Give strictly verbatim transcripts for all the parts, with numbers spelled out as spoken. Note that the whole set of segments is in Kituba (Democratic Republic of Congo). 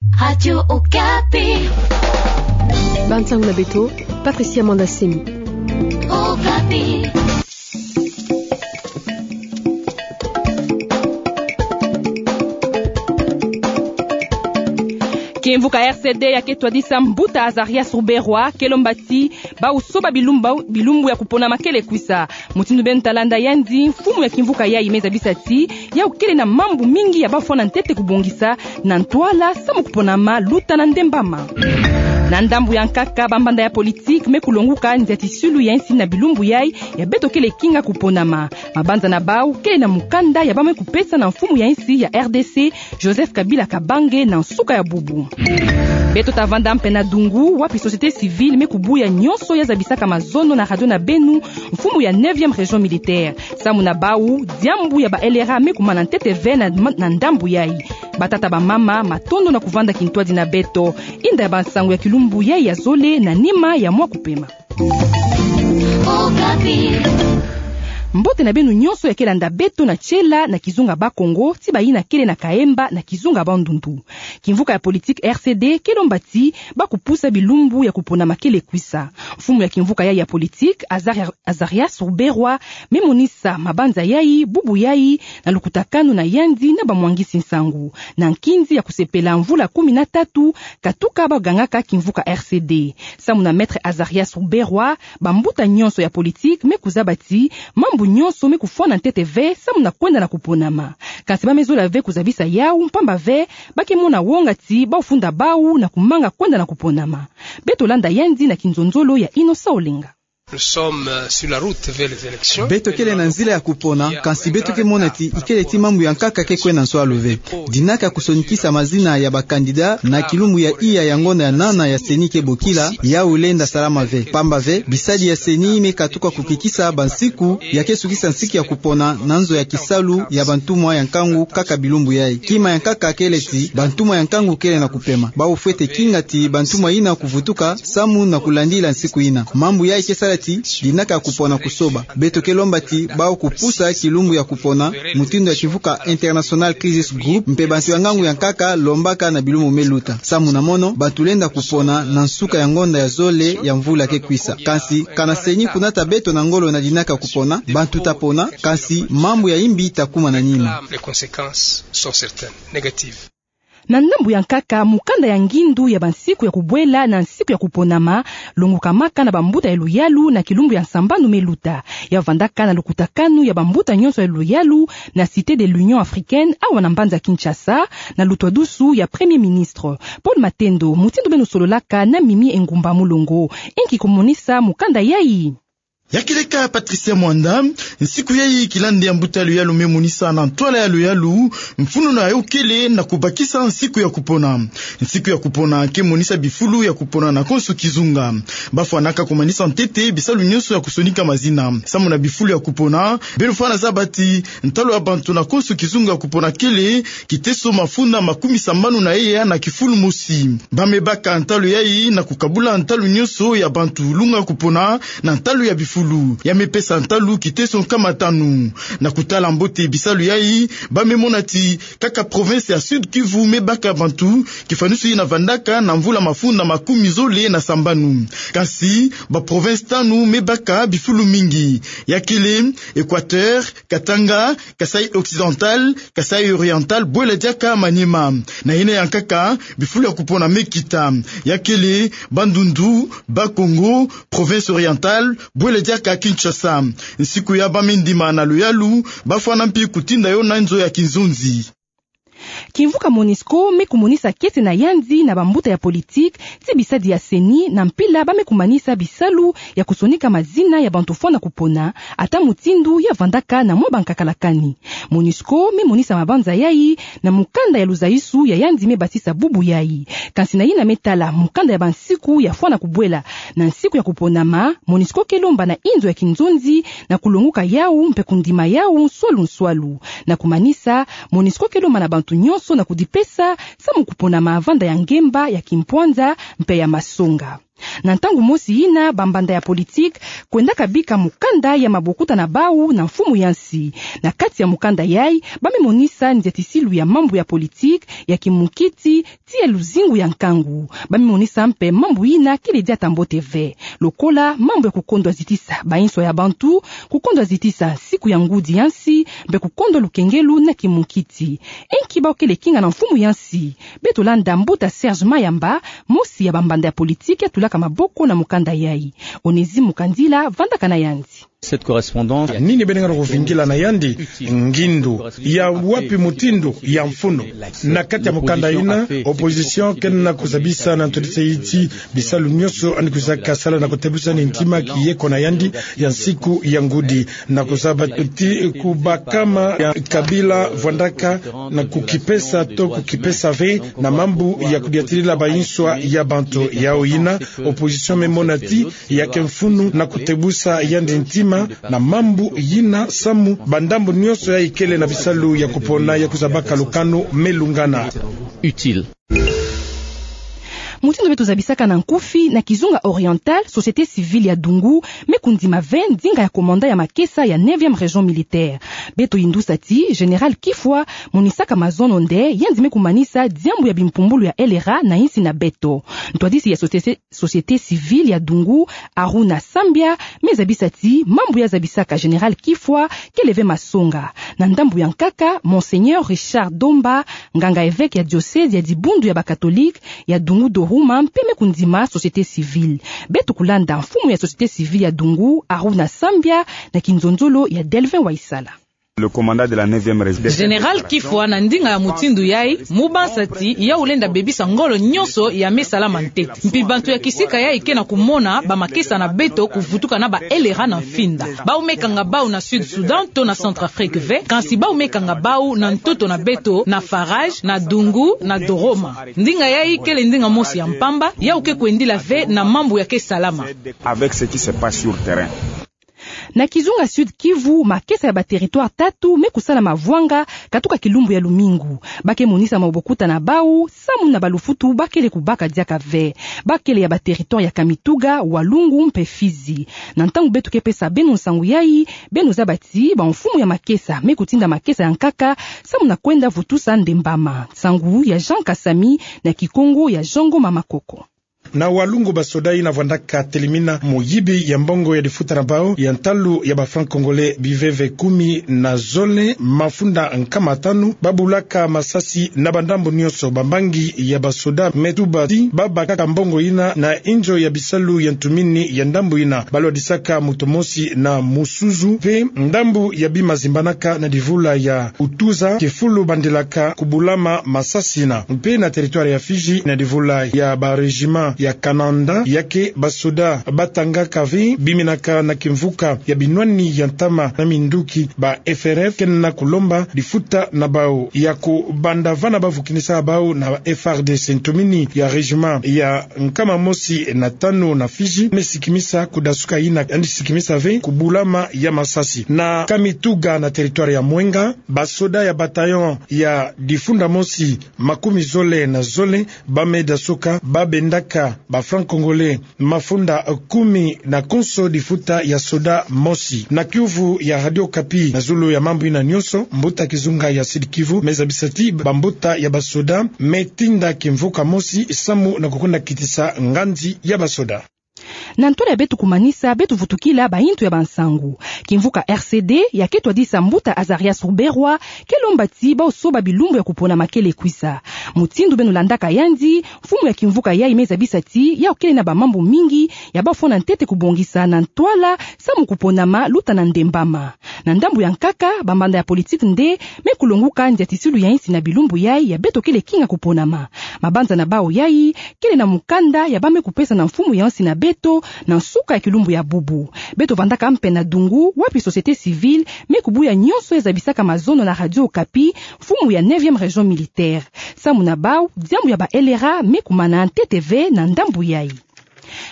Radio Okapi. Bansango na beto, Patricia Mwanda Semi. Okapi. Kimvuka R C D ya ke twadisa mbuta Azarias Ruberwa, ke lomba ti bau soba bilumbu, bilumbu ya kuponama kele kwisa. Mutindu beno ta landa yandi, mfumu ya kimvuka yayi me zabisa ti yau kele na mambu mingi ya bafwana ntete kubongisa na ntwala samu kuponama luta na ndembama. Na ndambu ya nkaka, bambanda ya politiki me kulonguka nziatisulu ya insi na bilumbu yayi ya beto kele kinga kuponama. Mabanza na bau kele na mukanda ya bau me kupesa na mfumu ya insi ya R D C, Joseph Kabila Kabange, na nsuka ya bubu. Beto ta vanda mpe na dungu, wapi société civile me kubuya nyonso ya zabisaka mazono na radio na beno, mfumu ya neuvième région militaire. Samu na bau, diambu ya ba L R A me kumana ntete ve na, na ndambu yayi. Batata, bamama, matondo na kuvanda kintwadi na beto. Inda ya bansango ya kilumbu yayi ya zole, na nima ya mwa kupema. Okapi. Mbote na beno nyonso ya ke landa beto na tiela na kizunga Bakongo, ti bayina kele na Kaemba na kizunga Bandundu. Kimvuka ya politiki R C D ke lomba ti bau kupusa bilumbu ya kuponama kele kwisa. Mfumu ya kimvuka yayi ya politiki, Azari-, Azarias Ruberwa, me monisa mabanza yayi bubu yayi na lukutakanu na yandi na bamwangisi nsangu, na nkinzi ya kusepela mvula kumi na tatu katuka bau gangaka kimvuka R C D. Samu na Maître Azarias Ruberwa, bambuta nyonso ya politiki me kuzaba ti mambu nyonso me kufwana ntete ve samu na kwenda na kuponama. Kansi bau me zola ve kuzabisa yau, mpamba ve bau ke mona wonga ti bau funda bau na kumanga kwenda na kuponama. Beto landa yandi na kinzonzolo ya Innocent Olenga. Nous sommes, euh, sur la route vers les élections. Beto kele na nzila ya kupona, kansi beto ke mona ti ikele ti mambu ya nkaka ke kwenda nswalu ve. Dinaka kusonikisa mazina ya ba candidat na kilumbu ya iya ya ngonda ya nana ya CENI ke bokila, yau lenda salama ve. Mpamba ve, bisadi ya CENI me katuka kukikisa bansiku ya ke sukisa nsiku ya kupona na nzo ya kisalu ya bantumwa ya nkangu nkaka bilumbu yayi. Kima ya nkaka kele ti bantumwa ya nkangu kele na kupema. Bau fwete kinga ti bantumwa yina kuvutuka samu na kulandila nsiku yina. Mambu yayi ke sala ti dinaka ya kupona kusoba. Beto ke lomba ti bau kupusa kilumbu ya kupona, mutindu ya kimvuka International Crisis Group mpe bantu ya ngangu ya nkaka lombaka na bilumbu me luta. Samu na mono, bantu lenda kupona na nsuka ya ngonda ya zole ya mvula ke kwisa. Kansi, kana CENI kunata beto na ngolo na dinaka ya kupona, bantu ta pona, kansi mambu ya imbi ta kuma na nima. Les conséquences sont certaines, négatives. Na ndambu ya nkaka, mukanda ya ngindu ya bansiku ya kubwela na nsiku ya kuponama longukamaka na bambuta ya luyalu na kilumbu ya nsambanu me luta. Ya vandaka na lukutakanu ya bambuta nyonso ya luyalu na Cité de l'Union Africaine, awa na mbanza Kinshasa, na lutwadusu ya Premier Ministre. Paul Matendo, mutindu beno sololaka na Mimi Engumba Mulongo, inki kumonisa mukanda yayi? Ya kele ka Patricia Mwanda, nsiku yayi kilandi ya mbuta ya luyalu me monisa na ntwala ya luyalu mfunu na yo kele na kubakisa nsiku ya kupona. Nsiku ya kupona ke monisa bifulu ya kupona na konso kizunga. Bafwanaka kumanisa ntete bisalu nyonso ya kusonika mazina. Samu na bifulu ya kupona, beno fwana zaba ti ntalu ya bantu na konso kizunga kupona kele kiteso mafunda makumi sambanu na eya na kifulu mosi. Bau me baka ntalu yayi na kukabula ntalu nyonso ya bantu lunga kupona na ntalu ya bifulu. Ya me pesa ntalu kiteso nkama tanu. Na kutala mbote bisalu yayi, bau me mona ti kaka province ya Sud-Kivu me baka bantu kifwanusu yina vandaka na mvula mafunda makumi zole na sambanu. Kansi, ba province tanu me baka bifulu mingi. Ya kele Équateur, Katanga, Kasaï Occidental, Kasaï Oriental, bwela diaka Maniema. Na yina ya nkaka, bifulu ya kupona me kita. Ya kele Bandundu, Bas-Congo, Province Orientale, bwela diaka Kinshasa. Nsiku ya bau me ndima na luyalu, bafwana mpi kutinda yo na nzo ya kinzonzi. Kimvuka MONUSCO me kumonisa kiese na yandi na bambuta ya politiki ti bisadi ya CENI na mpila bau me kumanisa bisalu ya kusonika mazina ya bantu fwana kupona, ata mutindu ya vandaka na mwa bankakalakani. MONUSCO me monisa mabanza yayi na mukanda ya luzayisu ya yandi me batisa bubu yayi. Kansi na yina me tala mukanda ya bansiku ya fwana kubwela na nsiku ya kuponama, MONUSCO ke lomba na inzo ya kinzonzi na kulonguka yau mpe kundima yau nswalu nswalu. Na kumanisa, MONUSCO ke lomba na bantu nyonso na kudipesa samu kuponama vanda ya ngemba, ya kimpwanza mpe ya masonga. Na ntangu mosi yina, bambanda ya politiki kwendaka bika mukanda ya mabokuta na bau na mfumu ya nsi. Na kati ya mukanda yai, ba me monisa nziatisilu ya mambu ya politiki, ya kimukiti, tii ya luzingu ya nkangu. Ba me monisa mpe mambu yina kele diata mbote ve. Lokola mambu ya kukondwa zitisa bainso ya bantu, kukondwa zitisa siku ya ngudi ya nsi, mpe kukondwa lukengelu na kimukiti. Inki bau kele kinga na mfumu ya nsi? Beto landa mbuta Serge Mayamba, mosi ya bambanda ya politiki ya tulaka maboko na mukanda yai. Onésime Mukandila vandaka na yandi. Cette correspondance. Nini beno ngana kuvingila na yandi? Ngindu. Ya wapi mutindu? Ya mfunu. Na kati ya mukanda yina, opposition ke na kuzabisa na ntodise iti bisalu nyonso yandi kwizaka sala na kutebusa yandi ntima ki yeko na yandi ya nsiku ya ngudi. Na kuzaba ti kubakama ya Kabila vwandaka na kukipesa to kukipesa ve na mambu ya kudiatilila bainso ya bantu. Yau yina, opposition me mona ti ya ke mfunu na kutebusa yandi ntima na mambu yina samu bandambu nyonso yai kele na bisalu ya kupona ya kuzabaka lukanu me lungana. Utile. Mutindu beto zabisaka na nkufi, na kizunga oriental, société civile ya Dungu me kundima ve ndinga ya commandant ya makesa ya neuvième région militaire. Beto yindusa ti général Kifwa monisaka mazono nde yandi me kumanisa diambu ya bimpumbulu ya L R A na insi na beto. Ntwadisi ya société société civile ya Dungu, Aruna Sambia, me zabisa ti mambu ya zabisaka général Kifwa kele ve masonga. Na ndambu ya nkaka, Monseigneur Richard Domba, nganga évêque ya diocèse ya dibundu ya ba catholique ya Dungu Dorouma, mpe me kundima société civile. Beto kulanda mfumu ya société civile ya Dungu, Aruna Sambia, na kinzonzolo ya Delvin Waisala. Le commandant de la neuvième région. Général Kifwa, na ndinga ya mutindu yai, mu bansa ti yau lenda bebisa ngolo nyonso ya me salama ntete. Mpi bantu ya kisika yai ke na kumona bamakesa na beto kuvutuka na ba L R A na mfinda. Bau me kanga bau na Sud Soudan to na Centrafrique ve, kansi bau me kanga bau na ntoto na beto, na Farage, na Dungu, na Dorouma. Ndinga yai kele ndinga mosi ya mpamba, yau ke kwendila ve na mambu ya ke salama. Avec ce qui se passe sur terrain. Na kizunga Sud-Kivu, makesa ya ba territoire tatu me kusala mavwanga katuka kilumbu ya lumingu. Ba ke monisa mabokuta na bau samu na balufutu ba kele kubaka diaka ve. Ba kele ya ba territoire ya Kamituga, Walungu mpe Fizi. Na ntangu beto ke pesa beno nsangu yai, beno zaba ti bamfumu ya makesa me kutinda makesa ya nkaka samu na kwenda vutusa ndembama. Nsangu ya Jean Kasami, na Kikongo ya Jean Ngoma Makoko. Na Walungu, basoda yina vwandaka telimina muyibi ya mbongo ya difuta na bau ya ntalu ya ba francs congolais biveve kumi na zole mafunda nkama tanu, ba bulaka masasi na bandambu nyonso. Bambangi ya basoda me tuba ti ba bakaka mbongo yina na inzo ya bisalu ya ntumini ya ndambu yina. Ba lwadisaka moto mosi na musuzu, mpe ndambu ya bima zimbanaka na divula ya utuza kifulu bandilaka kubulama masasi yina. Mpe na territoire ya Fizi, na divula ya ba régiment ya Kananda, ya ke basoda ba tangaka ve biminaka na kimvuka ya binwani ya ntama na minduki, ba F R F ke na kulomba difuta na bau ya kubanda vana ba vukinisa bau na F A R D C. Ntumini ya régiment ya nkama mosi na tanu na Fizi me sikimisa kudasuka yina, yandi sikimisa ve kubulama ya masasi. Na Kamituga, na territoire ya Mwenga, basoda ya bataillon ya difunda mosi makumi zole na zole ba me dasuka, ba bendaka ba francs congolais mafunda kumi na konso difuta ya soda mosi. Na kiuvu ya Radio Okapi, na zulu ya mambu yina nyonso, mbuta kizunga ya Sud-Kivu me zabisa ti bambuta ya basoda me tinda kimvuka mosi samu na kukwenda kitisa nganzi ya basoda. Na ntwala ya beto kumanisa, beto vutukila bayintu ya bansangu. Kimvuka R C D, ya ke twadisa mbuta Azarias Ruberwa, ke lomba ti bau soba bilumbu ya kuponama kele kwiza. Mutindu beno landaka yandi, mfumu ya kimvuka yai me zabisa ti yau kele na bamambu mingi ya bau fwana ntete kubongisa na ntwala samu kuponama luta na ndembama. Na ndambu ya nkaka, bamanda ya politiki nde me kulonguka nziatisilu ya insi na bilumbu yai ya beto kele kinga kuponama. Mabanza na bau yai kele na mukanda ya ba me kupesa na mfumu ya insi na beto na nsuka ya kilumbu ya bubu. Beto vandaka mpe na Dungu, wapi société civile me kubuya nyonso ya zabisaka mazono na Radio Okapi, mfumu ya neuvième région militaire. Samu na bau, diambu ya ba L R A me kumana ntete ve na ndambu yai.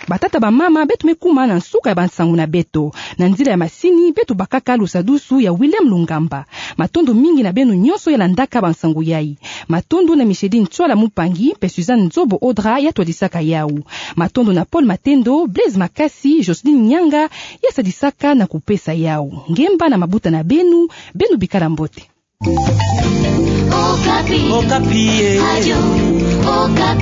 Batata, bamama, beto me kuma na nsuka ya bansangu na beto. Na nzila ya masini, beto bakaka lusadusu ya William Lungamba. Matondo mingi na beno nyonso ya landaka bansangu yai. Matondo na Micheline Tswala Mupangi, mpe Suzanne Nzobo Odra ya twadisaka yau. Matondo na Paul Matendo, Blaise Makasi, Jocelyne Nyanga, ya sadisaka na kupesa yau. Ngemba na mabuta na beno, beno bikala mbote. Okapi. Okapi, eh. Radio Okapi.